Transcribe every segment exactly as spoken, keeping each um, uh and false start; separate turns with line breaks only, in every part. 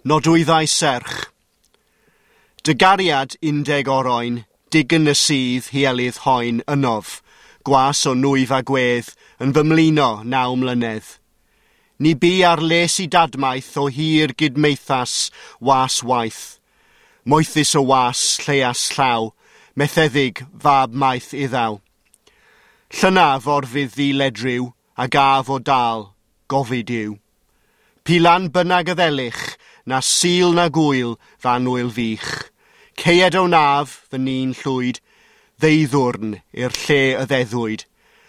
Nodwyddau serch. Dy gariad undeg oroen, digyn y sydd hielydd hoen ynof, gwas o nwyf a gwedd, yn fy mlino naw mlynedd. Ni bu ar les i dadmaeth o hir gydmeithas was waith. Moethus o was, lleias llaw, metheddig fab maeth iddaw. Llynaf orfydd ddi ledryw, a gaf o dal, gofid yw. Pilan bynnag y ddelich, na sil na gwyl fan wyl fych. Ceied o naf, fy ni'n llwyd, ddeuddwrn i'r lle y ddeddwyd,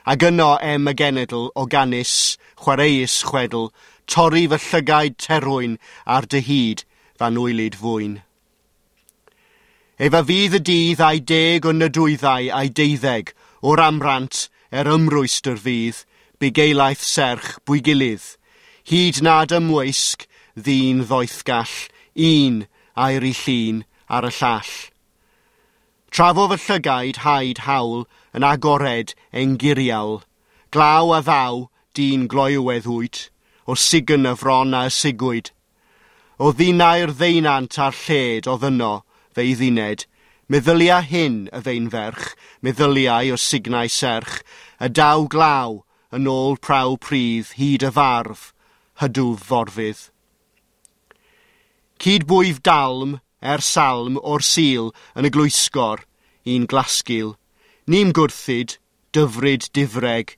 ac yno em y genedl o ganus, chwareus chwedl, torri fy llygaid terwyn ar dy hyd fan wylyd fwyn. Efa fydd y dydd a'i deg o nydwyddau a'i deuddeg, o'r amrant er ymrwystr fydd, bugeilaidd serch bwygilydd, hyd nad ymwysg ddyn ddoethgall, un air i llun ar y llall. Trafo fy llygaid haid hawl yn agored engiriawl, glaw a ddaw dyn gloywedd wyt, o sigyn y fron a ysigwyd. O ddinau'r ddeinant a'r lled oedd yno, fe'i dduned, meddylia hyn y feinferch, meddyliau o signau serch, y daw glaw yn ôl praw pridd hyd y farf, hydwf forfydd. Cydbwyf dalm er salm o'r Sul yn y glwysgor, un glasgil. Ni'm gwrthyd, dyfryd difreg,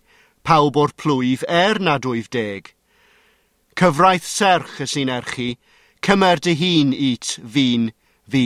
pawb o'r plwyf er nad wyf deg. Cyfraith serch y sy'n erchi, cymer dy hun it fi'n fi.